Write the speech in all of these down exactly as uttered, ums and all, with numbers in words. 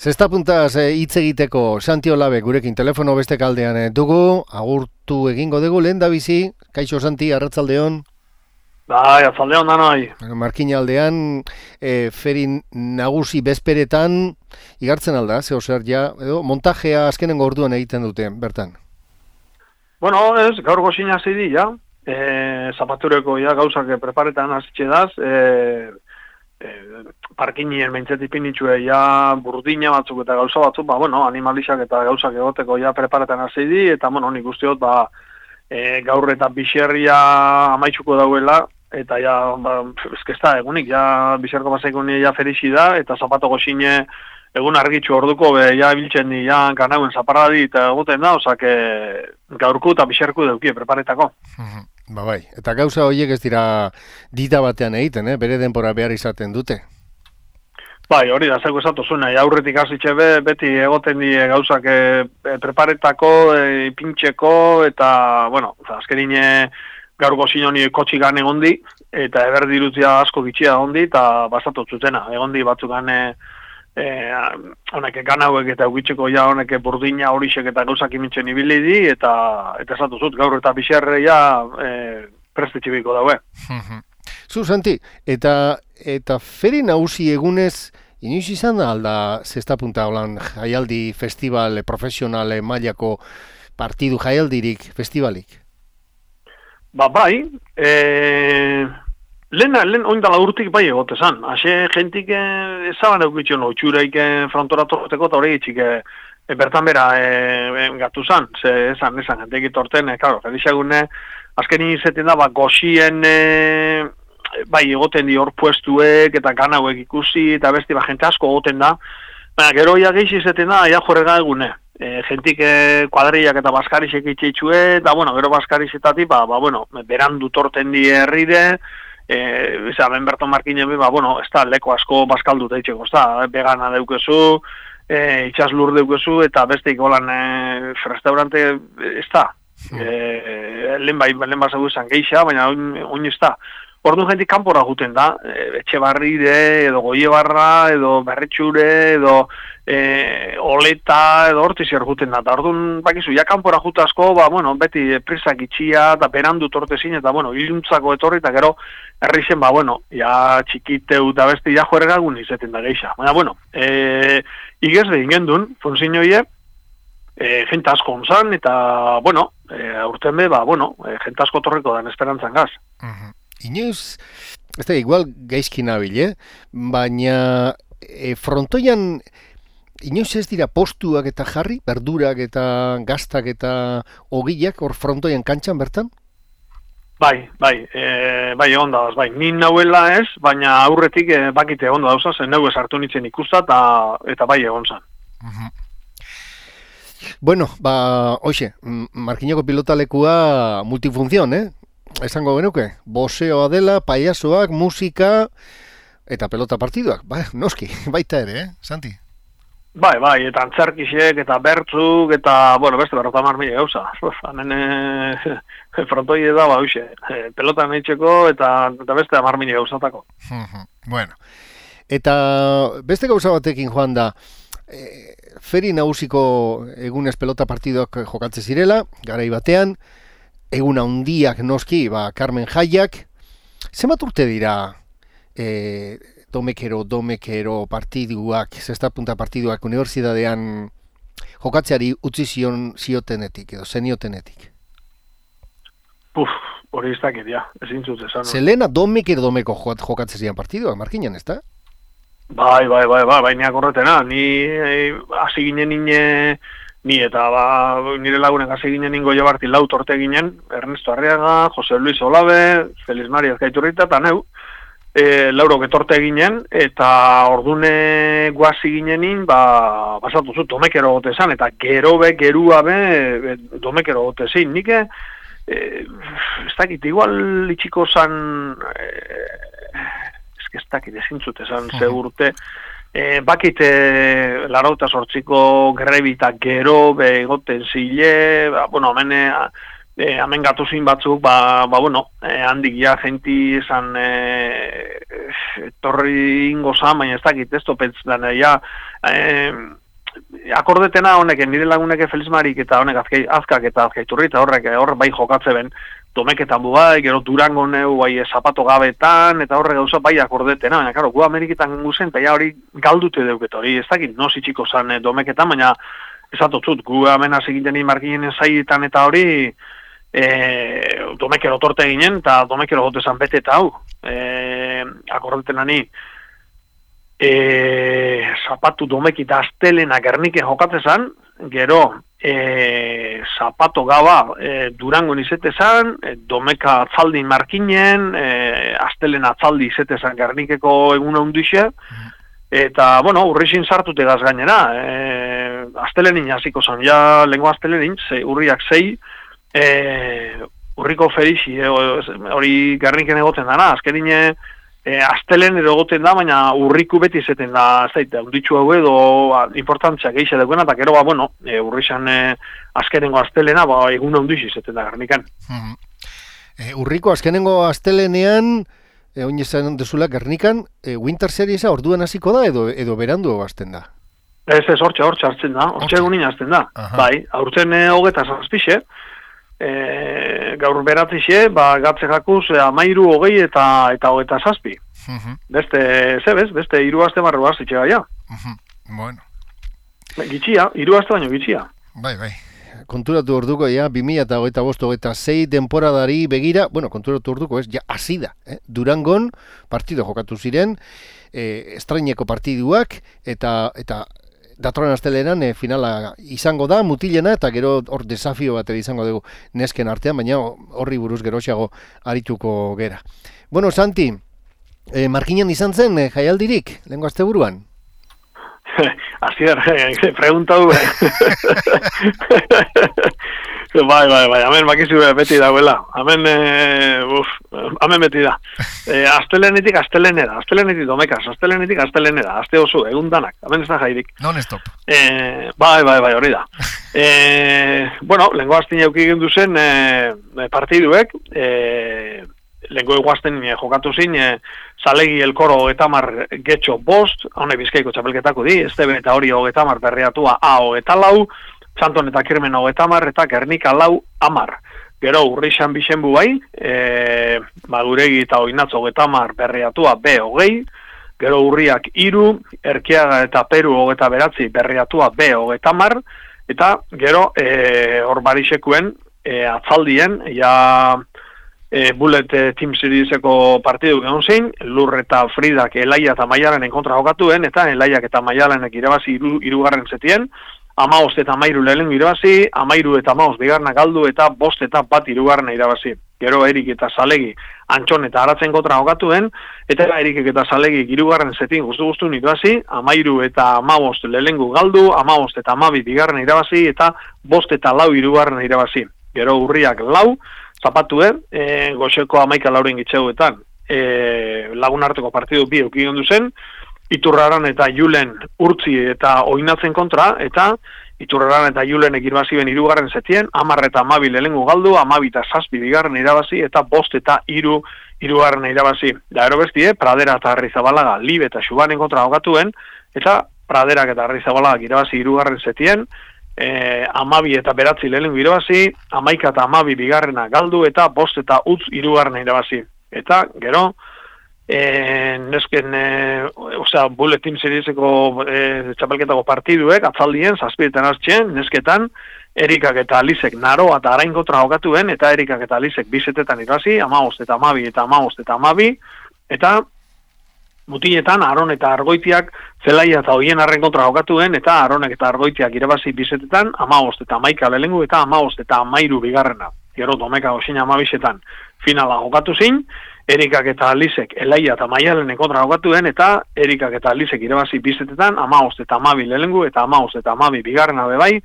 Zesta puntaz hitz egiteko Santi Olabe gurekin telefono beste kaldean eh, dugu, agurtu egingo dugu lehen da bizi, kaixo Santi, arratsaldeon. Bai, arratsaldeon da noi. Markina aldean, eh, ferin nagusi bezperetan, igartzen alda, zeo zer ja, edo montajea azkenengo orduan egiten dute, bertan. Bueno, ez, gaur gozina zidi, ja, e, zapatureko ja gauzak preparetan hasitxe daz, e, e, parkinien behintzeti pinitxue ja burdina batzuk eta gauza batzuk, ba, bueno, animalixak eta gauzak egoteko ja preparetan hasidi, eta, bueno, nik usteot, ba, e, gaur eta bixerria amaitzuko dauela, eta ja, ba, ezkezta egunik, ja, bixerko basaikunia ja ferixi da, eta zapato gozine egun argitxu orduko, be, ja, biltzen di, ja, kanauen zaparradi eta egoten da, osak, e, gaurku eta bixerku deukie, preparetako. Ba bai, eta gauza horiek ez dira dita batean egiten, eh? Bere denbora behar izaten dute. Bai, hori da, zeko esatu zuen, aurretik hasitxe be, beti egoten di gauzak e, preparetako, e, pintxeko, eta, bueno, azkerine gaur gozin honi kotxigan egondi, eta eberdirutzia asko gitxia egondi, eta basatu zutena, egondi batzukan e, Eh, honek ganauek eta ugitzeko ja honek burdina horixek eta gauzak imintzen ibili di, eta eta esatu zut, gaur eta bixerre ja eh, prestetxibiko daue. Zu, Santi, eta, eta feri nagusi egunez, inoiz izan da alda zesta punta holan jaialdi festival profesionale mailako partidu jaialdirik, festivalik? Ba, bai, eh... Lehen, lehen oindala urtik bai egote zan. Haxe jentik ezaban eukitxo no, txureik frontora torteko eta hori itxik e, bertan bera e, e, gatu zan. Ze esan, esan, jentik itorten, e, klaro, felixagune, azken izeten da, ba, goxien, e, bai egoten di hor puestuek eta ganauek ikusi, eta besti, ba, jente asko egoten da. Baina, gero ia geixi izeten da, ia jorrega egune. E, jentik e, kuadriak eta baskarixek itxeitxue, eta, bueno, gero baskarixetatik, ba, ba, bueno, berandu torten di herrire, Eh, eza, ben berton markinen, ba, bueno, ez da, leko asko baskaldu teitxeko, ez da, vegana deukezu, eh, itxas lur deukezu, eta besteik holan eh, restaurante, ez da, eh, lehen bai, lehen basegu izan geixa, baina oin ez da. Orduan jentik kanpora guten da, e, Etxebarride, edo Goiebarra, edo Berretxure, edo e, Oleta, edo Hortizier guten da. Orduan, bakizu, ja kanpora jute asko, ba, bueno, beti prisak itxia, eta berandu tortezin, eta, bueno, iluntzako etorri, eta gero, herri zen, ba, bueno, ja txikiteu eta beste, ja juergagun izeten da geixa. Baina, bueno, e, igez de ingendun, fonzin hoie, e, jente asko onzan, eta, bueno, e, aurten be, ba, bueno, e, jente asko torreko dan esperantzan gaz. Uh-huh. Inoiz, ez da, igual gaizki nabil, eh? Baina e, frontoian inoiz ez dira postuak eta jarri, berdurak eta gaztak eta ogiak hor frontoian kantxan bertan? Bai, bai, e, bai egon da, bai, ni nauela ez, baina aurretik e, bakite egon da dauza, zen neu esartu nintzen ikusta eta, eta bai egon zan. Uh-huh. Bueno, ba, hoxe, Markinoko pilotalekua multifunzion, eh? Esango genuke, boseoa dela, paiasoak, musika eta pelota partiduak. Ba, noski, baita ere, eh, Santi? Bai, bai, eta antzerkixek, eta bertzuk, eta, bueno, beste berrota marmile gauza. Hanen e, frontoi da, ba, hoxe, e, pelota nahitzeko eta, eta beste marmile gauzatako. Bueno, eta beste gauza batekin joan da, e, feri nagusiko egunez pelota partiduak jokatze zirela, garai batean, egun handiak noski, ba, Carmen Jaiak, zenbat urte dira e, domekero, domekero partiduak, zesta punta partiduak unibertsitatean jokatzeari utzi zion ziotenetik, edo zeniotenetik? Puf, hori ez dakit, ja, ezin zut esan. Zelena domekero domeko jokatze zian partiduak, Markinan, ez da? Bai, bai, bai, bai, bai, niak horretena, ni hasi ginen nine... Ni eta ba, nire lagunek hasi ginen ingo jabarti lau torte ginen, Ernesto Arriaga, Jose Luis Olabe, Feliz Maria Ezkaiturrita, eta neu, e, laurok etorte ginen, eta ordune guazi ginenin, ba, basatu zut, domekero gote zan, eta gero be, gerua be, be domekero gote zin. Nik, e, ez dakit, igual itxiko zan, e, ez dakit, ezin zut esan, ze urte, E, bakit e, larauta sortziko grebita gero begoten zile, ba, bueno, hemen, e, hemen gatuzin batzuk, ba, ba bueno, e, handik ja jenti esan e, torri ingo zan, baina ez dakit, ez topetz, ja, eh, akordetena honek, nire lagunek Felizmarik eta honek azkai, azkak eta azkaiturri, eta horrek horrek bai jokatze ben, domeketan bu bai, gero Durango neu, bai, zapato gabetan, eta horrek gauza bai akordetena, baina, karo, gu Ameriketan guzen, eta ja hori galdute deuket hori, ez dakit, no zitxiko zan domeketan, baina esatotzut, gu hemen hasi ginen markinen zaietan eta hori, e, domekero torte ginen, eta domekero gotezan bete eta hau, e, akordetena ni, E, zapatu domekita astelena Gerniken jokatzezan, gero e, zapato gaba e, Durango izetezan, e, domeka atzaldi markinen, e, astelena atzaldi izetezan Gernikeko eguna hundixe, eta, bueno, urrixin sartute gaz gainera, e, astelenin hasiko zan, ja, lengo astelenin, ze, urriak zei, e, urriko ferixi, e, hori Gerniken egoten dana, azkerine, E, astelen edo goten da, baina urriku beti zeten da, ez daite, unditxu hau edo ba, importantzia gehiago dagoena, eta gero, ba, bueno, e, urrixan e, azkenengo astelena, ba, egun ondixi zeten da Gernikan. Mm-hmm. e, urriko azkenengo astelenean, e, oin esan dezula Gernikan, e, Winter Seriesa orduan hasiko da, edo edo berandu hasten da? Ez, ez, hortxe, hortxe hartzen da, hortxe egunin hasten da. Aha. Bai, aurten e, hogeta zazpixe, E, gaur beratzixe, ba, gatze jakuz, amairu hogei eta eta hogeta zazpi. Uh-huh. Beste, zebez, beste hiru aste marru azitxe gaia. Uh-huh. Bueno. Gitxia, hiru aste baino gitxia. Bai, bai. Konturatu orduko, ja, bi mila hogeita bost hogeita sei temporadari begira, bueno, konturatu orduko ez, ja, azida. Eh? Durangon partido jokatu ziren, eh, estraineko partiduak, eta eta datorren astelenan e, finala izango da, mutilena, eta gero hor desafio bat izango dugu nesken artean, baina horri buruz geroxiago arituko gera. Bueno, Santi, e, markinan izan zen e, jaialdirik, lehenko asteburuan? Azier, pregunta du. Bai, bai, bai, hemen bakizu beti dagoela. Hemen, e, uf, hemen beti da. E, astelenetik astelenera, astelenetik domekaz, astelenetik astelenera, aste oso, egun danak, hemen ez da jairik. Non-stop. E, bai, bai, bai, hori da. E, bueno, lengo astin jauki gindu zen e, partiduek, e, lengo eguazten e, jokatu zin, e, Zalegi elkoro hogetamar getxo bost, hone Bizkaiko txapelketako di, Estebe eta hori hogetamar berriatua A hogeta lau, Txanton eta Kirmen hogetamar eta Gernika lau amar. Gero urrixan bixenbu bai, e, Maguregi eta Oinatz hogetamar berriatua B hogei, gero urriak iru, Erkiaga eta Peru hogeta beratzi berriatua B hogetamar, eta gero e, hor barixekuen e, atzaldien, ja... E, Bullet e, Team Serieseko partidu egon zein, Lur eta Fridak Elaia eta Maialenen kontra jokatuen, eta Elaiak eta Maialenek irabazi iru, irugarren zetien, amaost eta amairu lehen irabazi, amairu eta amaost bigarna galdu, eta bost eta bat irugarren irabazi. Gero Erik eta Zalegi Antxon eta Aratzen kontra jokatuen, eta Erik eta Zalegi irugarren zetin guztu-guztu irabazi, amairu eta amaost lehengu galdu, amaost eta amabi bigarren irabazi, eta bost eta lau irugarren irabazi. Gero Urriak lau, zapatue, e, goxeko amaika lauren gitxeuetan, e, lagun arteko partidu bi eukigon duzen, Iturraran eta Julen Urtzi eta Oinatzen kontra, eta Iturraran eta Julen ekirbazi ben irugarren zetien, amar eta amabi lehengu galdu, amabi eta zazpi bigarren irabazi, eta bost eta iru irugarren irabazi. Da ero bestie, Pradera eta Arrizabalaga, Libe eta Xubanen kontra jokatuen, eta Praderak eta Arrizabalaga irabazi irugarren zetien, E, amabi eta beratzi lehenengo irabazi, amaika eta amabi bigarrena galdu, eta bost eta utz irugarrena irabazi. Eta, gero, e, nesken, e, osea, Bullet Team Serieseko e, txapelketako partiduek, atzaldien, zazpietan hartzen, nesketan, Erikak eta Alizek naroa eta arain kontra jokatuen, eta Erikak eta Alizek bizetetan irabazi, amabost eta amabi eta amabost eta amabi, eta mutiletan, Aron eta Argoitiak Zelaia eta Oien arren kontra jokatuen, eta Aronek eta Argoitiak irabazi bizetetan, amabost eta amaika lehengu, eta amabost eta amairu bigarrena. Gero domeka osina amabisetan finala jokatu zin, Erikak eta Alizek Elaia eta Maialenen kontra jokatuen, eta Erikak eta Alizek irabazi bizetetan, amabost eta amabi lehengu, eta amabost eta amabi bigarrena bebai,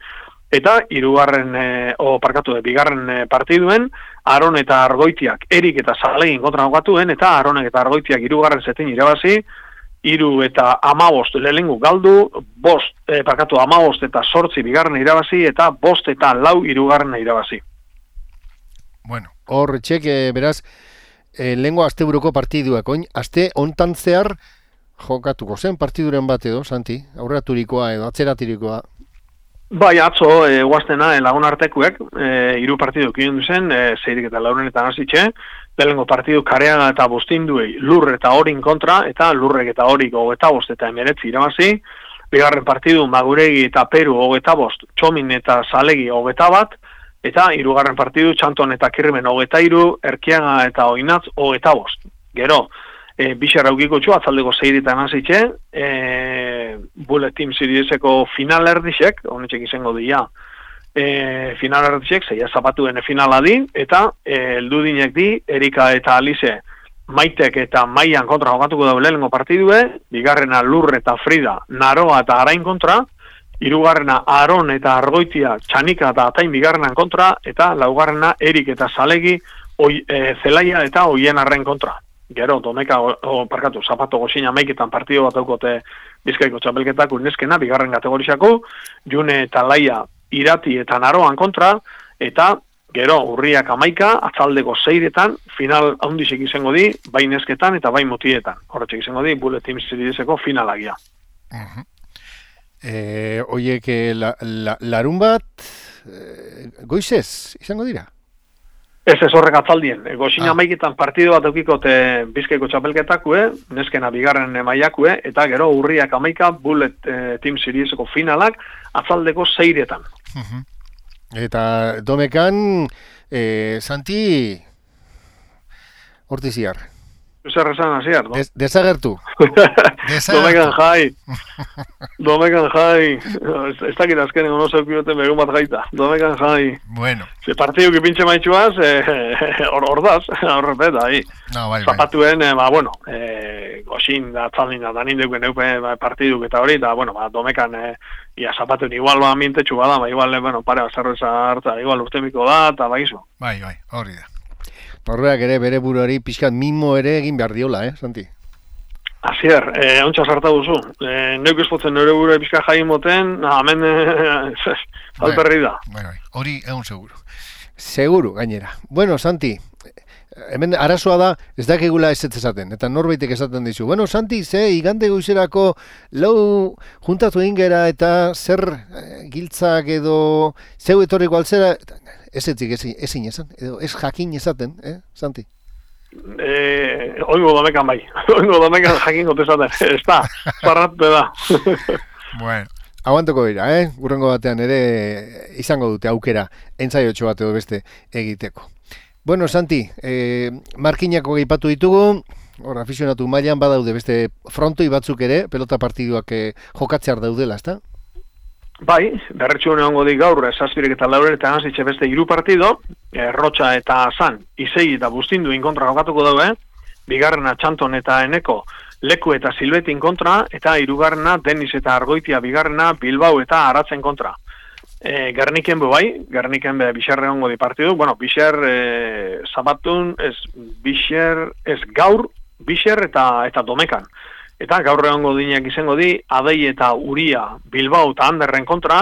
eta hirugarren e, o parkatu de bigarren e, partiduen, Aron eta Argoitiak Erik eta Zalegin kontra jokatuen, eta Aronek eta Argoitiak hirugarren zetin irabazi, hiru eta amabost lehengu galdu, bost, e, parkatu amabost eta sortzi bigarren irabazi, eta bost eta lau hirugarren irabazi. Bueno, hor txek, e, beraz, e, lehengo asteburuko partiduak, oin, aste hontan zehar jokatuko zen partiduren bat edo, Santi? Aurraturikoa edo atzeratirikoa? Bai, atzo, e, guaztena, e, lagun artekuek, e, iru partidu kion duzen, e, zeirik eta laurenetan hasitxe, lehenengo partidu Kareaga eta Bustinduei lur eta horin kontra, eta lurrek eta horik hogeta bost eta emeretzi irabazi, bigarren partidu Maguregi eta Peru hogeta bost, Txomin eta Zalegi hogeta bat, eta hirugarren partidu Txanton eta Kirmen hogeta iru, Erkiaga eta Oinatz hogeta bost. Gero, e, bixar aukiko txu, atzaldeko zeiritan hasitxe, e, Bullet Team Serieseko final erdixek, honetxek izango dira, e, final erdixek, zeia zapatuen finala di, eta e, eldudinek di, Erika eta Alize, Maitek eta Maian kontra jokatuko dago lehenengo partidue, bigarrena Lur eta Frida, Naroa eta Arain kontra, hirugarrena Aron eta Argoitia, Txanika eta Atain bigarrenan kontra, eta laugarrena Erik eta Zalegi, oi, e, Zelaia eta Oien Arren kontra. Gero, domeka, o, o, parkatu, zapato goxina maiketan partido bat daukote Bizkaiko txapelketak uneskena, bigarren kategorizako, June eta Laia Irati eta Naroan kontra, eta gero, urriak amaika, atzaldeko zeiretan, final haundizek izango di, bai nesketan eta bai mutietan. Horretxek izango di, Bullet Team Serieseko finalagia. Uh-huh. E, oiek, la, la, larun bat, e, goizez, izango dira? Ez ez horrek atzaldien. Goxina ah. maiketan partido bat eukikote Bizkaiko txapelketakue, neskena bigarren maiakue, eta gero urriak amaika Bullet eh, Team Serieseko finalak atzaldeko zeiretan. Uh-huh. Eta domekan, eh, Santi, hortiziar. Zer esan hasiar, no? Des, desagertu. Domekan jai. Domekan jai. Ez dakit azkenen ono zeukioten begun bat gaita. Domekan jai. Bueno. Ze partidu ki pintxe maitxuaz, hor eh, daz, horrepeta, hi. No, bai, Zapatuen, eh, ba, bueno, eh, goxin da tzaldin da danindeuken eupe ba, partiduk eta hori, da, bueno, ba, domekan, eh, ia zapatuen igual ba mintetxu bada, ba, igual, eh, bueno, pare bazarreza hartza, igual urtemiko da, eta ba, izo. Bai, bai, hori da. Norbeak ere bere buruari pixkat mimo ere egin behar diola, eh, Santi? Asier, eh, ontsa sarta duzu. Eh, neuk espotzen nire buruari pixkat jain moten, hemen eh, alperri da. Bai, bai, hori egun seguru. Seguru, gainera. Bueno, Santi, hemen arazoa da, ez dakigula ez esaten, eta norbaitek esaten dizu. Bueno, Santi, ze, igande goizerako lau juntatu ingera eta zer eh, giltzak edo zeu etorriko altzera, ez etzik ezin, ezin esan, edo ez jakin esaten, eh, Santi? Eh, oingo domekan bai, oingo domekan jakin gotezaten, ez da, parratu da. Bueno. Aguantoko dira, eh? Urrengo batean ere izango dute aukera entzaiotxo bat edo beste egiteko. Bueno, Santi, eh, markinako gaipatu ditugu, hor, afizionatu mailan badaude beste frontoi batzuk ere, pelota partiduak eh, jokatzear daudela, ezta? Bai, berretxu hongo di gaur, zazpirek eta lauren eta nazitxe beste hiru partido, eh, Rotxa eta San, Izei eta Bustinduin kontra jokatuko daue, bigarrena Txanton eta Eneko, Leku eta Silbetin kontra, eta hirugarrena Denis eta Argoitia bigarrena Bilbao eta Aratzen kontra. E, Gerniken be bai, Gerniken be Bixerre hongo di partidu, bueno, Bixer e, Zabatun, ez Bixer, ez gaur, Bixer eta eta Domekan. Eta gaur egongo dinak izango di, Adei eta Uria Bilbao eta Anderren kontra,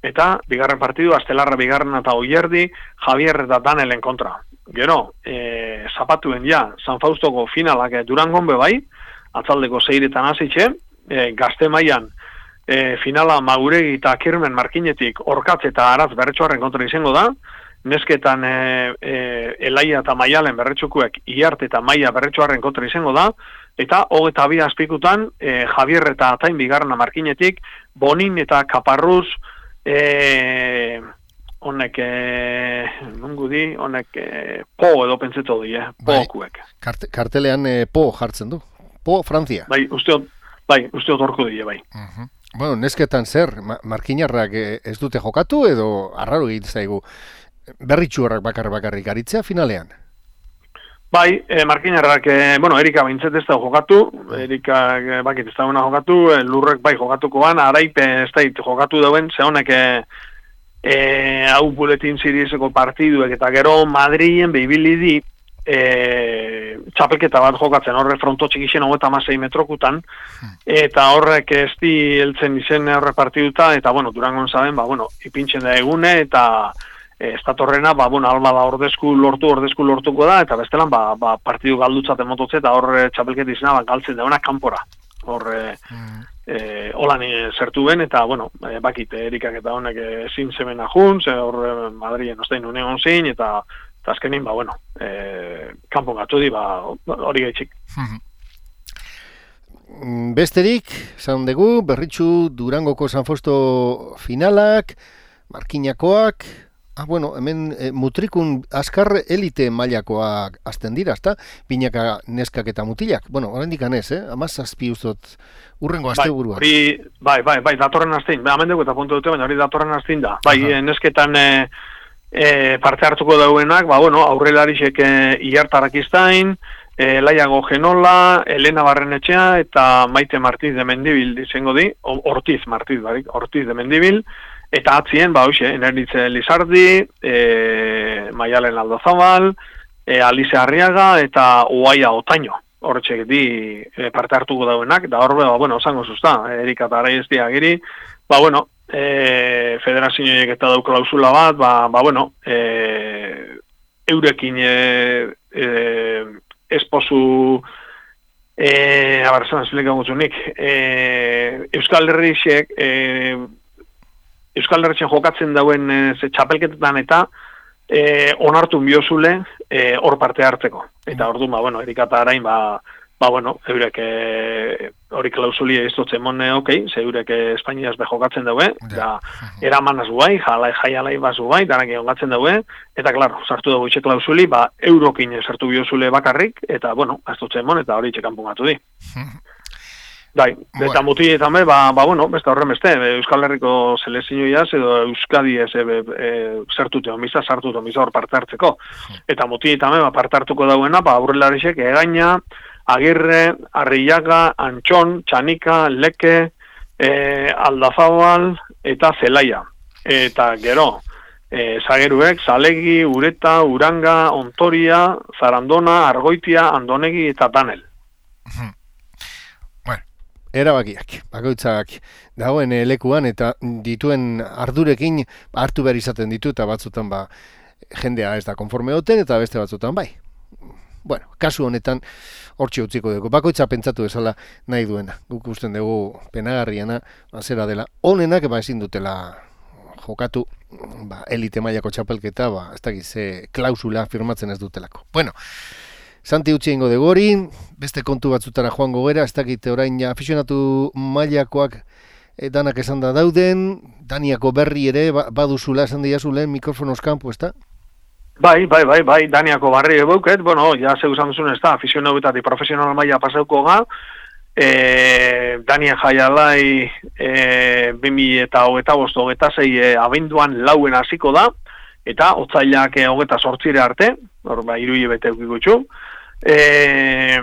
eta bigarren partidu, Astelarra bigarren eta Oierdi, Javier eta Danelen kontra. Gero, e, zapatuen ja, San Faustoko finalak Durangon be bai, atzaldeko zeiretan hasitxe, e, Gazte mailan e, finala Maguregi eta Kirmen Markinetik Orkatz eta Aratz berretxoarren kontra izango da, nesketan e, e, Elaia eta Maialen berretxokuek Iarte eta Maia berretxoarren kontra izango da, eta hogeta bi azpikutan e, Javier eta Atain bigarrena Markinetik, Bonin eta Kaparruz, e, honek, e, nungu di, honek e, po edo pentseto di, eh, pokuek. Kart, kartelean e, po jartzen du. Po, Frantzia. Bai, usteot, bai, usteot orko die, bai. Uh-huh. Bueno, nesketan zer, ma, markinarrak ez dute jokatu edo arraro egiten zaigu berritxuarrak bakar bakarrik aritzea finalean? Bai, e, markinarrak, e, bueno, Erika bintzet ez da jokatu, Erika e, bakit ez da una jokatu, e, Lurrek bai jokatuko ban, Araipe ez da jokatu dauen, ze honek e, e, hau Bulletin Serieseko partiduek eta gero Madrilen behibili di, E, txapelketa bat jokatzen horre fronto txikixen hogeta amasei metrokutan eta horrek ez di heltzen izen horre partiduta eta bueno, Durangon zaben, ba, bueno, ipintzen da egune eta e, ez datorrena, ba, bueno, alba da ordezku lortu, ordezku lortuko da eta bestelan, ba, ba partidu galdutzaten mototze eta horre txapelketa izena ba, galtzen dauna kanpora. hor e, e, holan zertu ben, eta, bueno, e, bakit, erikak eta honek ezin zeben ahun, ze hor e, Madrien ostein unegon zin, eta, eta azkenin, ba, bueno, e, kanpon gatu di, ba, hori gaitxik. Besterik, esan dugu, berritxu Durangoko San Fosto finalak, Markinakoak, ah, bueno, hemen e, mutrikun azkar elite mailakoak azten dira, ezta? Binaka neskak eta mutilak. Bueno, oraindik anez, eh? Amazazpi uzot urrengo asteburuan. Bai, bai, bai, bai, datorren astein. Ba, hemen dugu eta puntu dute, baina hori datorren astein da. Bai, Aha. nesketan e, e, parte hartuko dauenak, ba, bueno, aurrelarisek e, Iartarak iztain, E, Laiago Genola, Elena Barrenetxea eta Maite Martiz de Mendibil izango di, Ortiz Martiz, barik, Ortiz de Mendibil, eta atzien, ba, hoxe, Eneritze Lizardi, e, Maialen Aldozabal, e, Alize Arriaga eta Uaia Otaino, horretxek di e, parte hartuko dauenak, da horbe, ba, bueno, osango zuzta, Erika eta Araiestia giri, ba, bueno, e, federazioek eta dau klausula bat, ba, ba bueno, e, eurekin e, e, esposu eh abar zan explica mucho Nick eh Euskal Herrixek eh Euskal Herrixen jokatzen dauen e, ze txapelketetan eta eh onartu biozule eh hor parte hartzeko. Eta orduan ba bueno, Erika eta Arain ba ba bueno, eurek eh hori klausulia istotzen mone, okay, ze eurek Espainiaz be jokatzen daue, da eramanaz bai, jala jaialai bazu bai, danak jokatzen daue, eta claro, sartu dago itxe klausuli, ba eurokin sartu biozule bakarrik eta bueno, astotzen mon eta hori itxe kanpongatu di. Dai, eta mutietan be, ba, ba bueno, beste horren beste, Euskal Herriko selezioiaz edo Euskadi ez e, e, zertute omiza, sartute omiza hor parte hartzeko. Eta mutietan be, ba, parte hartuko dauena, ba, aurrelarisek Egaina, Agirre, Arrillaga, Antxon, Txanika, Leke, e, Aldazabal eta Zelaia. Eta gero, e, Zageruek, Zalegi, Ureta, Uranga, Ontoria, Zarandona, Argoitia, Andonegi eta Danel. Erabakiak, bakoitzak dagoen lekuan eta dituen ardurekin hartu behar izaten ditu eta batzutan ba, jendea ez da konforme hoten eta beste batzutan bai. Bueno, kasu honetan hortxe utziko dugu. Bakoitza pentsatu bezala nahi duena. Guk usten dugu penagarriana zera dela. Honenak ba ezin dutela jokatu ba, elite mailako txapelketa, ba, ez dakiz ze klausula firmatzen ez dutelako. Bueno, Santi utzi ingo dugu hori, beste kontu batzutara joango gera, ez dakite orain afizionatu mailakoak e, danak esan da dauden, Daniako berri ere ba, baduzula esan diazulen mikrofonos kanpo, ez da? Bai, bai, bai, bai, Daniako barri ebauket, bueno, ja zeu esan duzun ez da, afizionatu eta profesional maila pasauko ga, e, Dania jaialai e, bimi eta hogeta bost, hogeta zei e, abenduan lauen hasiko da, eta otzailak e, hogeta sortzire arte, hor ba, irui bete eukikutxu, E,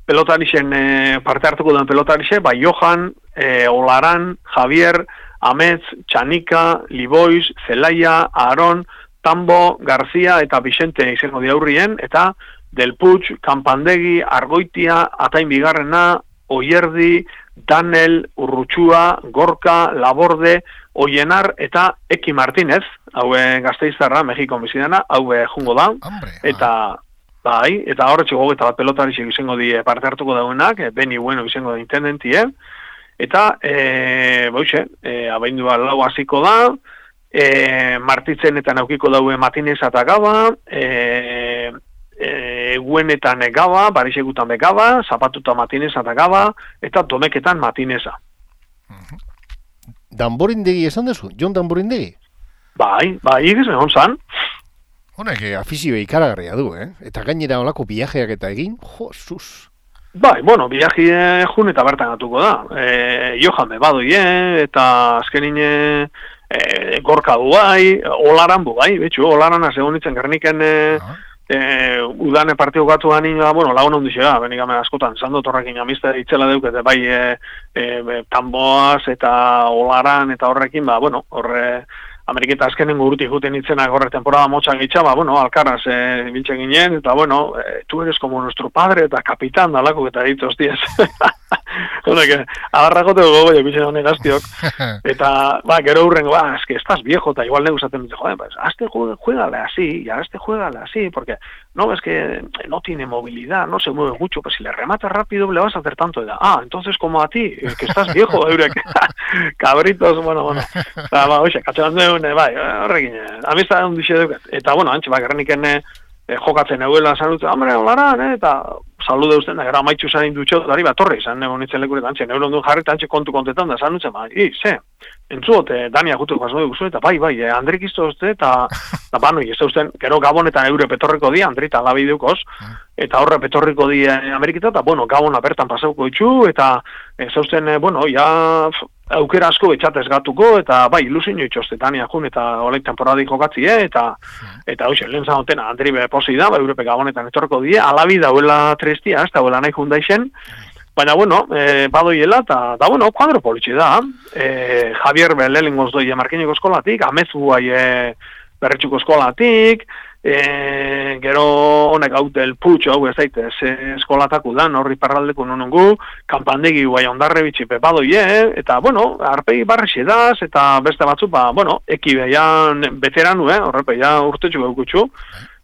pelotarixen e, parte hartuko duen pelotarixe, ba Johan, e, Olaran, Javier, Ametz, Txanika, Liboiz, Zelaia, Aaron, Tambo, Garzia eta Vicente izango diaurrien, eta Del Puig, Kanpandegi, Argoitia, Atain Bigarrena, Oierdi, Danel, Urrutxua, Gorka, Laborde, Oienar eta Eki Martinez, haue Gasteiztarra, Mexikon bizidana, haue jungo da, eta bai, eta horretxeko eta bat pelotarixek izango di parte hartuko dauenak, Beni Bueno izango da intendentie, eta, e, boixe, e, abaindua lau hasiko da, e, Martitzen eta naukiko daue Matinez eta Gaba, e, e, Guenetan Gaba, Barixekutan Gaba, Zapatuta Matinez eta Gaba, eta Domeketan Matineza. Danborindegi esan dezu? Jon Danborindegi? Bai, bai, egiz egon zan. Honek, afizio ikaragarria du, eh? Eta gainera olako biajeak eta egin, jo, sus. Bai, bueno, biaji jun eta bertan atuko da. E, Johan bebadoi, eh? Eta azkenin e, gorka du bai, olaran bu bai, betxu, olaran azegon ditzen gerniken e, uh-huh. e, udane partio gatu gani, bueno, lagun hon dixera, benikame askotan, zando torrekin amizte itzela deukete, bai, e, e, tamboaz eta olaran eta horrekin, ba, bueno, horre, Ameriketa azkenen urti juten itzenak horre temporada motxan gitza, ba, bueno, alkarraz e, biltzen ginen, eta, bueno, e, tu eres como nuestro padre eta kapitan dalako eta ditu hostiaz. Honek, agarrakoteko gogo jokitzen honek gaztiok. Eta, ba, gero hurrengo, ba, es que estás viejo, eta igual neguzaten dute, joder, pues, hazte juégale así, ya hazte juégale así, porque, no, es que no tiene movilidad, no se mueve mucho, pues si le rematas rápido le vas a hacer tanto. Edad. Ah, entonces como a ti, que estás viejo, eurek, cabritos, bueno, bueno. Ba, ba, oixe, katxean duen, bai, horrekin, amizta hon dixe duket. Eta, bueno, antxe, ba, gerreniken eh, jokatzen euela salutzen, hombre, holaran, eh, eta salude usten, da, gara amaitxu zain dutxot, dari, ba, torri, zan nego nintzen lekuret, antxe, neuron duen jarri, antxe kontu kontetan, da, salutzen, ba, i, ze, entzuot, eh, Dania gutu jasno dugu eta bai, bai, eh, Andrik izto uste, eta, eta, bano, ez usten, gero Gabonetan eure petorriko di, Andri eta labi dukos, eta horre petorriko di eh, Ameriketa, eta, bueno, Gabona bertan pasauko itxu, eta, ez usten, eh, bueno, ja, aukera asko betxatez gatuko, eta bai, ilusin joitxoste, Dania jun, eta oleik temporadi jokatzi, eh, eta, eta, oixe, lehen zanotena, Andri be posi da, ba, Europe Gabonetan etorriko die, alabi dauela trestia, ez dauela nahi jundaixen, baina, bueno, eh, badoiela, eta, da, bueno, kuadro politxe da, eh, Javier Belelingoz doi Markineko eskolatik, Amezu bai eh, Berretxuko eskolatik, E, gero honek hau del putxo, hau ez daitez, eskolataku da, horri parraldeko nonongu, kanpandegi guai ondarre bitxipe badoie, eta, bueno, arpegi barri edaz, eta beste batzu, ba, bueno, eki behian veteranu, eh, horrepe, ja urtetxu beukutxu,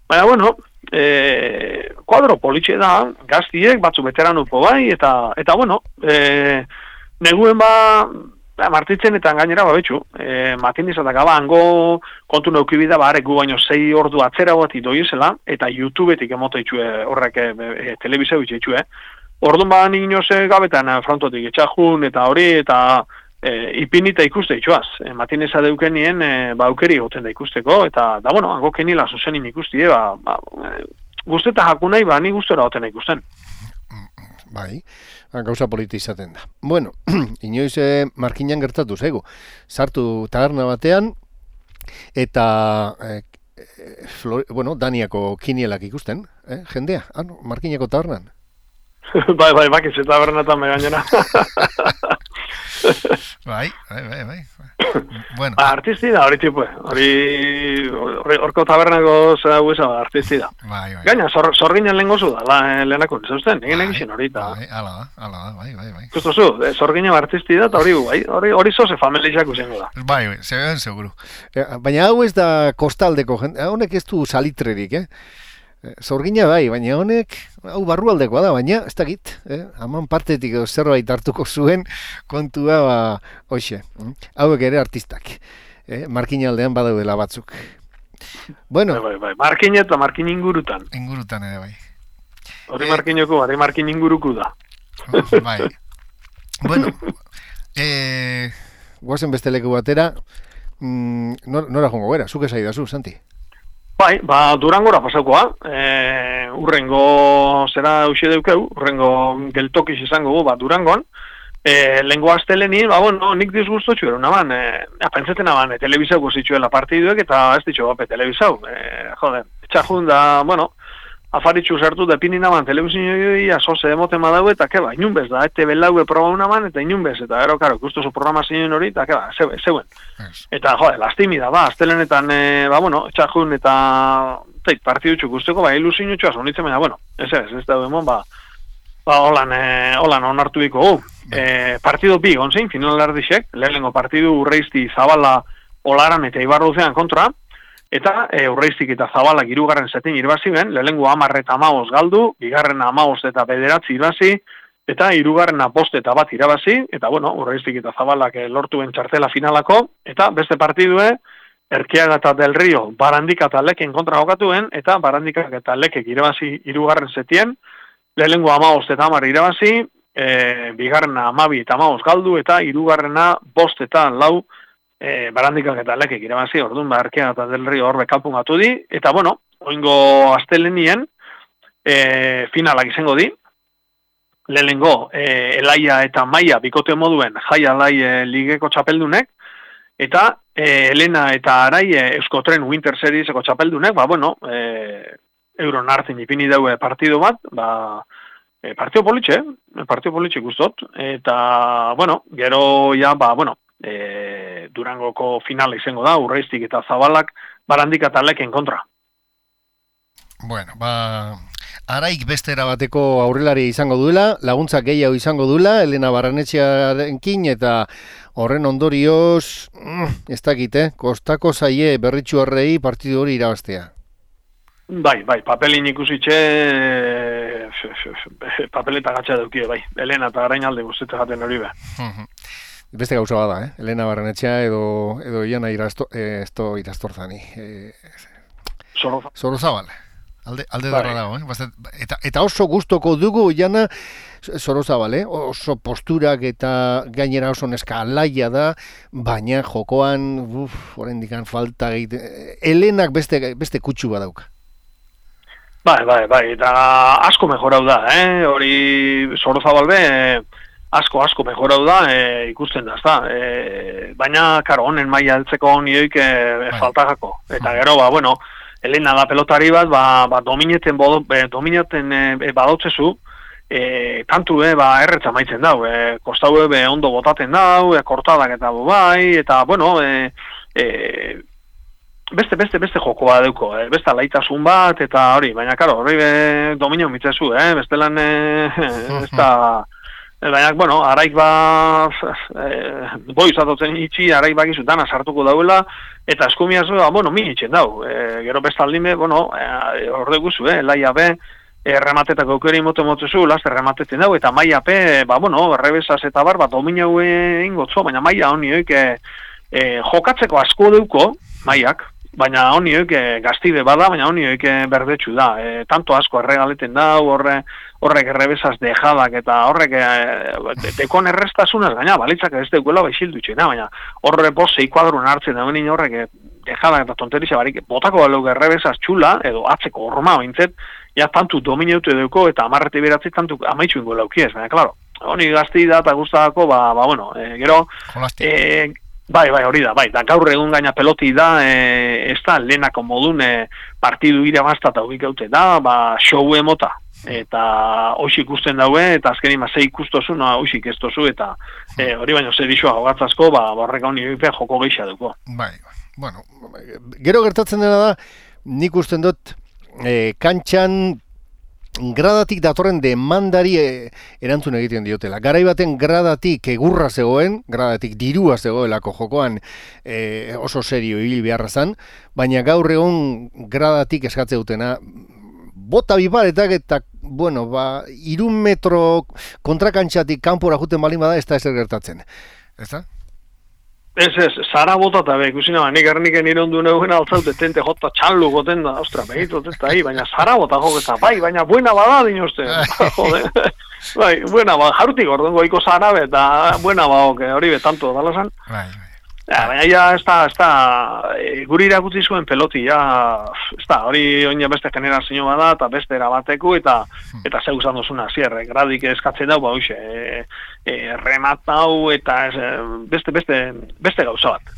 baina, bueno, e, kuadro politxe da, gaztiek, batzu veteranupo bai, eta, eta bueno, e, neguen ba, martitzen eta gainera babetxu, e, matin izatak aba, hango kontu neukibida, ba, arek gu baino zei ordu atzera bat idoiezela, eta YouTubetik emote itxue horrek e, e, telebizeu itxue, orduan ba ninoze gabetan frontotik etxajun eta hori, eta e, ipinita ikuste itxuaz, e, matin izan deukenien, e, ba, aukeri goten da ikusteko, eta, da, bueno, hango kenila zuzenin ikustie, ba, ba e, guzteta jakunai, ba, ni gustora goten ikusten. Bai, gauza politi izaten da. Bueno, inoiz eh, Markinan gertatu zaigu. Sartu taberna batean, eta, eh, Flor, bueno, Daniako kinielak ikusten, eh, jendea, ah, no, Markinako tabernan. bai, bai, bakiz, eta tabernatan me gainera. bai, bai, bai, bai. Bueno. Ba, artisti da, hori tipue. Hori, horko tabernako zera guesa, artisti da. Bai, bai. Gaina, zor, zorginen lehen gozu da, la, lehenako, zausten, egin egin hori, eta... Bai, ala da, ala da, bai, bai, bai. Justo zu, zorginen artisti da, eta hori, bai, hori, hori zoze familizak usengo da. Bai, bai, zeben seguru. Baina hau ez da kostaldeko, honek ez du salitrerik, eh? Zorgina bai, baina honek, hau barrualdekoa da, baina, ez dakit, eh? Haman partetik zerbait hartuko zuen kontua, ba, hoxe, hauek ere artistak, eh? Markinaldean badaudela batzuk. Bueno. Bai, bai, bai, Markin eta Markin ingurutan. Ingurutan ere, bai. Hori eh, Markinoko, hori Markin inguruku da. Bai. Bueno, eh, guazen beste leku batera, mm, nora jongo gara, zuke zaidazu, Santi? Bai, ba, Durangora pasaukoa, e, urrengo zera eusi deukeu, urrengo geltokiz izango gu, ba, Durangon, e, lengo asteleni, ba, bueno, nik disgustotxu ero naban, e, ja, pentseten naban, e, telebizauko zitzuela partiduek, eta ez ditxo, bape, telebizau, e, joder, etxajun da, bueno, afaritxu sartu da pini naban, telebizioi, asoze emoten badau, eta keba, inunbez da, ete belaue proba unaban, eta inunbez, eta ero, karo, ikustu zu programazioen hori, eta keba, zeuen. Yes. Eta, jode, lastimi da, ba, astelenetan, e, ba, bueno, etxajun eta, teik, partidutxu guzteko, ba, ilusin utxua, zonitzen, baina, bueno, ez ez, ez da demon, ba, ba, holan, e, holan onartu biko, gu. E, partido bi, gonzein, final ardixek, lehenengo partidu Urreizti Zabala Olaran eta Ibarruzean kontra, eta e, Urreiztik eta Zabalak hirugarren zetin irbazi ben, lehenengo hamar eta hamabost galdu, bigarren hamabost eta bederatzi irbazi, eta hirugarren bost eta bat irabazi, eta bueno, Urreiztik eta Zabalak e, lortu ben txartela finalako, eta beste partidue, Erkiaga eta Del Rio, Barandika eta Leken kontra jokatuen, eta Barandika eta Lekek irabazi hirugarren zetien, lehenengo hamabost eta hamar irabazi, e, bigarrena hamabi eta hamabost galdu, eta hirugarrena bost eta lau, E, barandikak eta lekek irabazi, orduan, ba, Erkiaga eta Del Rio horbe kalpungatu di, eta, bueno, oingo astelenien e, finalak izango di, lehenengo, e, Elaia eta Maia bikote moduen Jai Alai e, ligeko txapeldunek, eta e, Elena eta Arai e, Euskotren Winter Serieseko txapeldunek, ba, bueno, e, euron hartzen ipini daue partido bat, ba, e, partio politxe, partio politxe guztot, eta, bueno, gero, ja, ba, bueno, E, Durangoko finala izango da, Urreiztik eta Zabalak Barandika eta Leken kontra. Bueno, ba, Araik beste erabateko aurrelari izango duela, laguntza gehiago izango duela, Elena Barrenetxearekin, eta horren ondorioz, ez dakit, eh? Kostako zaie berritxu horrei partidu hori irabaztea. Bai, bai, papelin ikusitxe, papeleta gatsa daukie, bai. Elena eta Arainalde guztetzen jaten hori be. Beste gauza bada, eh? Elena Barrenetxea edo, edo Iana irasto, eh, esto irastorzani. Eh, Sorozabal. Sorozabal. Alde, alde darra dago, eh? Eta, eta oso gustoko dugu, Iana, Sorozabal, eh? Oso posturak eta gainera oso neska alaia da, baina jokoan, uf, oraindikan falta egite. Elenak beste, beste kutsu badauka. Bai, bai, bai, eta asko mejorau da, eh? Hori Sorozabal be, asko, asko mejorau da, e, ikusten da, ezta. E, baina, karo, honen maila heltzeko nioik e, faltagako. Eta gero, ba, bueno, Elena da pelotari bat, ba, ba domineten, bodo, e, domineten e, badotzezu, e, tantu, e, ba, erretza maitzen dau, e, kostau e, ondo botaten dau, e, kortadak eta bai, eta, bueno, e, e, beste, beste, beste joko bat deuko, eh? Beste alaitasun bat, eta hori, baina, karo, hori be, dominio mitzezu, eh? Beste lan, eh, ez da, baina, bueno, Araik ba, eh, boi zatotzen itxi, Araik bakizu dana sartuko dauela, eta eskumiaz, ba, bueno, min itxen dau, eh, gero beste aldime, bueno, eh, hor deguzu, eh, laia be, eh, rematetak aukeri mote motzezu, laster rematetzen dau, eta maia pe, ba, bueno, rebesaz eta bar, ba, dominio ingotzo, baina maia honioik, eh, eh, jokatzeko asko deuko, maiak, baina honioik e, gaztide bada, baina honioik e, berdetxu da. E, tanto asko erregaleten da, horre, horrek errebesaz dejadak, eta horrek e, dekon errestasunaz, gaina balitzak ez deukuela baixildu itxena, baina horre posei kuadrun hartzen da, benin horrek e, dejadak eta tonterizia barik, botako baluk errebesaz txula, edo atzeko horma ointzet, ja tantu domineute deuko, eta amarrete beratzi tantu amaitxu ingo laukiez, baina, klaro, honi gazti da, eta guztako, ba, ba, bueno, e, gero, e, bai, bai, hori da, bai, da gaur egun gaina peloti da, e, ez da, lehenako modun e, partidu irabazta eta hobik haute da, ba, show emota, eta hoxik ikusten daue, eta azkeni ma ze ikustozu, no, hoxik ez tozu, eta e, hori baino zer isua hogatzazko, ba, borreka honi joko geisha duko. Bai, bueno, gero gertatzen dena da, nik usten dut, e, kantxan, gradatik datorren demandari e, erantzun egiten diotela. Garai baten gradatik egurra zegoen, gradatik dirua zegoelako jokoan e, oso serio hil beharra zan, baina gaur egon gradatik eskatze dutena bota biparetak eta, bueno, ba, irun metro kontrakantxatik kanpora juten balin bada ez da ezer gertatzen. Ez da? Ez, ez, zara bota eta be, ikusina, ba, nik erniken irondu neuen altzaute tente jota txallu goten da, ostra, behitot ez da, hi, baina zara bota joketa, bai, baina buena bada dinozte, jode, bai, buena bada, jarutik orduan goiko zara be, eta buena bada, hori be, tanto, dala zan. Bai, bai. Ja, baina ja, ez da, ez da, e, guri irakutzi zuen peloti, ja, ez da, hori oina beste generazio bada, eta beste erabateko, eta eta zeu zan dozuna, zierre, gradik eskatzen dau, ba, hoxe, e, e, rematau, eta ez, beste, beste, beste gauza bat.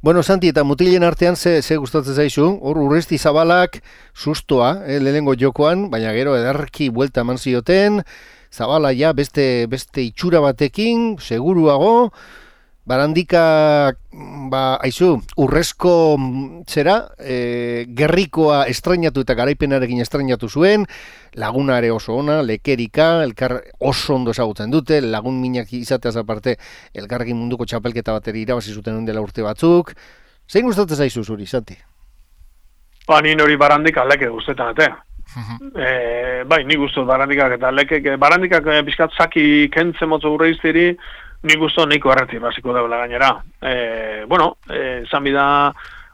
Bueno, Santi, eta mutilen artean ze, ze gustatzen zaizu, hor Urresti Zabalak sustoa, eh, lehenengo jokoan, baina gero edarki buelta eman zioten, Zabala ja beste, beste itxura batekin, seguruago, Barandika, ba, aizu, urrezko zera, e, gerrikoa estrainatu eta garaipenarekin estrainatu zuen, laguna ere oso ona, lekerika, elkar oso ondo ezagutzen dute, lagun minak izateaz aparte, elkarrekin munduko txapelketa bateri irabazi zuten dela urte batzuk. Zein gustatzen zaizu zuri, Santi? Ba, ni hori Barandika leke gustetan atea. e, bai, ni gustut Barandikak eta lekek, Barandikak e, pixkat zaki kentzen motzo Urreiztiri, ni gusto niko erretik basiko daula gainera. E, bueno, e, zan bida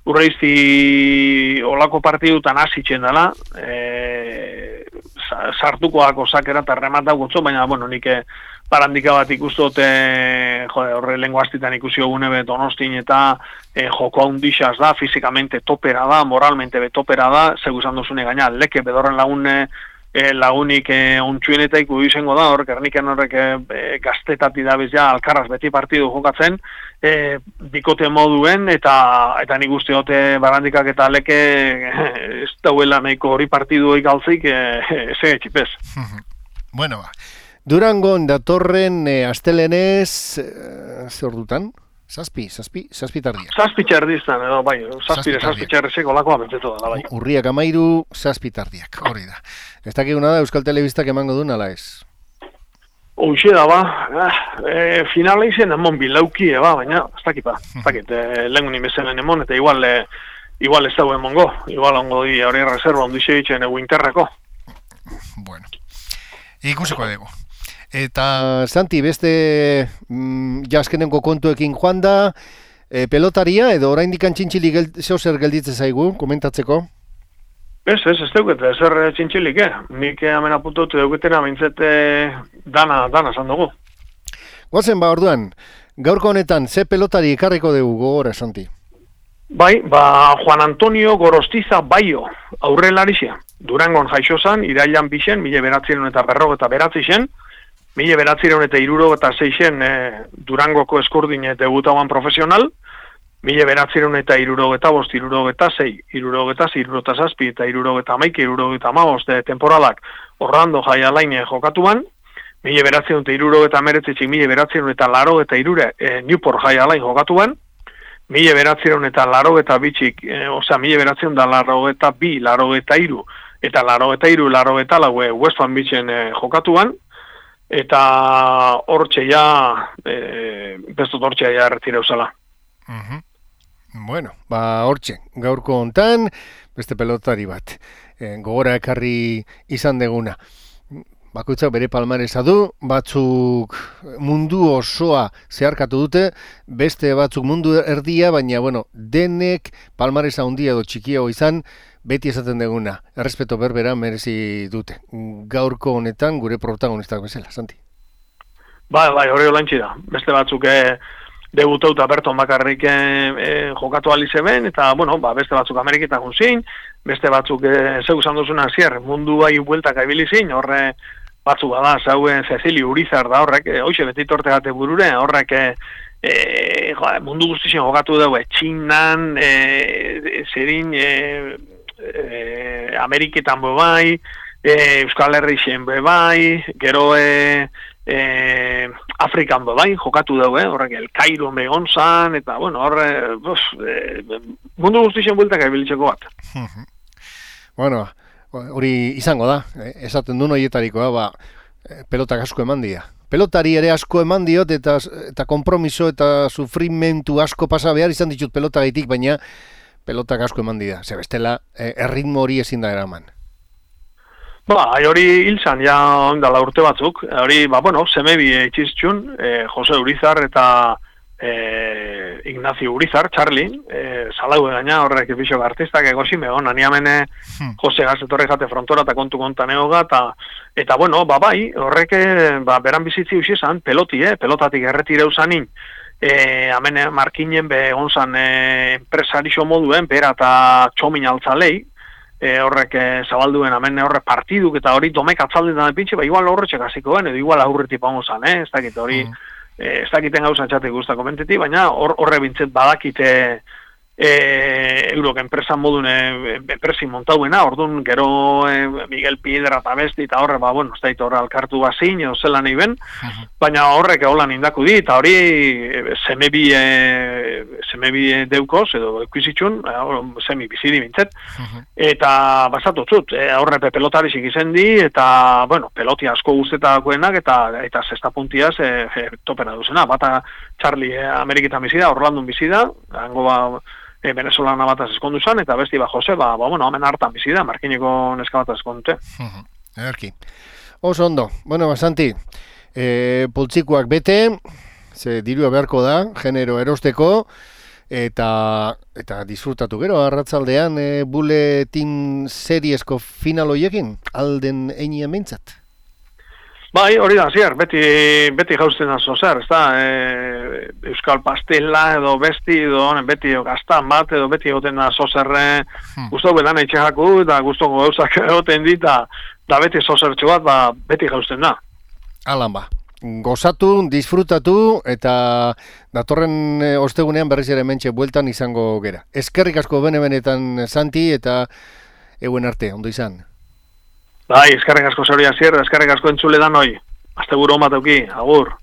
Urreizti olako partidutan hasitzen dela, e, sartukoako sakera eta rematau gotzo, baina, bueno, nik Barandika bat ikustote, jode, horre lengo astitan ikusi ogune be Donostin eta e, joko handixaz da, fizikamente topera da, moralmente betopera da, zegu izan duzune gaina, leke bedorren lagune, E, lagunik e, ontsueneta iku izango da, horrek erniken horrek e, gaztetati dabiz ja alkarraz beti partidu jokatzen, e, bikote moduen, eta eta nik uste hote Barandikak eta leke e, ez dauela nahiko hori partidu ikaltzik, e, ze etxipez. Bueno, ba. Durangon datorren e, astelenez, e, zer dutan? Zazpi, zazpi, zazpi tardiak. Zazpi txerdiztan, edo, bai, zazpire, zazpi txerdizeko lakoa betzetu da, bai. Urriak amairu, zazpi tardiak, hori da. Ez dakiguna da Euskal Telebistak emango duen, ala ez? Hoxe da, ba, eh, finala izen emon bilauki, ba, baina, ez dakit, ba, ez dakit, eh, lehengun imezenen emon, eta igual, eh, igual ez dago emongo, igual ongo di, hori reserva ondo ixe ditzen egu interrako. Bueno, ikusiko dugu. Eta, Santi, beste mm, jaskenenko kontuekin joan da, e, pelotaria, edo oraindik antxintxili gel, zeozer gelditzen zaigu, komentatzeko? Ez, ez, ez deukete, zer txintxilik, eh? Nik hemen apuntatu deuketena, bintzete dana, dana zan dugu. Guazen, ba, orduan, gaurko honetan, ze pelotari ekarriko dugu gogora, Santi? Bai, ba, Juan Antonio Gorostiza Baio, aurrelaria. Durangon jaixo zan, irailan bixen, mila beratzireun eta berrog eta beratzi zen, mila beratzireun eta irurog eta seixen e, Durangoko eskurdin debutauan profesional, mila beratzireun eta irurog eta bost, irurog eta zei, irurog eta zei, irurog eta zazpi, eta irurog eta maike, irurog eta maost temporalak Orlando Jaialain jokatuan, mila beratzireun eta irurog eta meretzitzik, mila beratzireun eta laro eta irure e, Newport Jaialain jokatuan, mila beratzireun eta laro eta bitxik, e, osea, mila beratzireun da laro eta bi, laro eta iru, eta laro eta iru, laro eta laue West Palm Beachen e, jokatuan, eta hortxe ja, e, bestut hortxe ja erretira usala. Uh-huh. Bueno, ba hortxe, gaurko hontan, beste pelotari bat, e, gogora ekarri izan deguna. Bakoitzak bere palmaresa du, batzuk mundu osoa zeharkatu dute, beste batzuk mundu erdia, baina bueno, denek palmaresa handia edo txikiago izan, beti esaten deguna, errespeto berbera merezi dute. Gaurko honetan gure protagonistak bezala, Santi. Bai, bai, hori olantzi da. Beste batzuk eh, debutauta Berton bakarrik eh, jokatu alizeben, eta, bueno, ba, beste batzuk Ameriketan junzin, beste batzuk eh, zeu zan duzuna zier, mundu bai bueltak abilizin, horre batzuk bada, zauen Cecilio Urizar da horrek, eh, hoxe beti tortegate burure, horrek eh, eh, jo, mundu guztizien jokatu dugu, eh, Txinan, eh, zerin, eh, eh, Ameriketan bai, eh, Euskal Herrixen bai, gero eh, eh, Afrikan bai, jokatu dugu, eh, horrek El Cairo begon zan, eta bueno, horre, eh, mundu guztizien bueltak ebilitzeko bat. Bueno, hori izango da, esaten duen horietarikoa, ba, pelotak asko eman dira. Pelotari ere asko eman diot, eta, eta kompromiso eta sufrimentu asko pasa behar izan ditut pelotagaitik, baina pelotak asko eman dira. Ze bestela, erritmo hori ezin da eraman. Ba, hori hil zan, ja ondala urte batzuk. Hori, ba, bueno, semebi itxiztxun, eh, Jose Urizar eta eh, Ignacio Urizar, Charlie, eh, salau gaina horrek epixok artistak egosi megon, aniamene hmm. Jose Gazetorre jate frontora eta kontu kontan egoga, eta, eta bueno, ba, bai, horrek ba, beran bizitzi usi zan, peloti, eh, pelotatik erretireu zanin, eh, amene markinen be onzan eh, enpresarixo moduen, bera eta txomin altzalei, E, horrek e, zabalduen hemen horre partiduk eta hori domek atzaldetan epintxe, ba igual horretxek hasikoen edo igual aurretik paungo zan, eh? Ez dakit hori, mm. e, ez dakiten gauza txatek guztak komenteti, baina hor, horre bintzet badakite e, eurok enpresan modun e, enpresin montauena, orduan gero e, Miguel Piedra eta besti eta horre, ba, bueno, ez dakit horre alkartu bazin, edo zela nahi ben, mm-hmm. baina horrek holan indaku di, eta hori e, semebi, e, semebi deukoz, edo ekuizitxun, e, semi bizidi bintzet, mm-hmm. eta basatutzut, e, horre pelotarisik izen di, eta, bueno, peloti asko guztetakoenak, eta eta zesta puntiaz e, e, topena duzena, bata Charlie e, Ameriketan bizida, Orlandon bizida, hango ba, e, venezolana bataz eskondu zan, eta besti ba Jose, ba, ba bueno, hemen hartan bizida, markineko neska bataz eskondute. Erki. Oso ondo. Bueno, Santi, e, poltsikoak bete, ze dirua beharko da, genero erosteko, eta eta disfrutatu gero, arratzaldean e, buletin seriesko final hoiekin, alden einien mintzat. Bai, hori da, zier, beti, beti jauzten da zozer, ez da, e, Euskal Pastela edo besti, edo beti gaztan bat, edo beti egoten da zozerre, hmm. guztok bedan eitxeaku, eta guztoko gauzak egoten dit, da beti zozertxo bat, ba, beti jauzten da. Alan ba, gozatu, disfrutatu, eta datorren e, ostegunean berriz ere mentxe bueltan izango gera. Eskerrik asko bene-benetan, Santi, eta euen arte, ondo izan. Bai, eskerrik asko zeuria zier, eskerrik asko entzule da noi. Azte buru on bat auki, agur.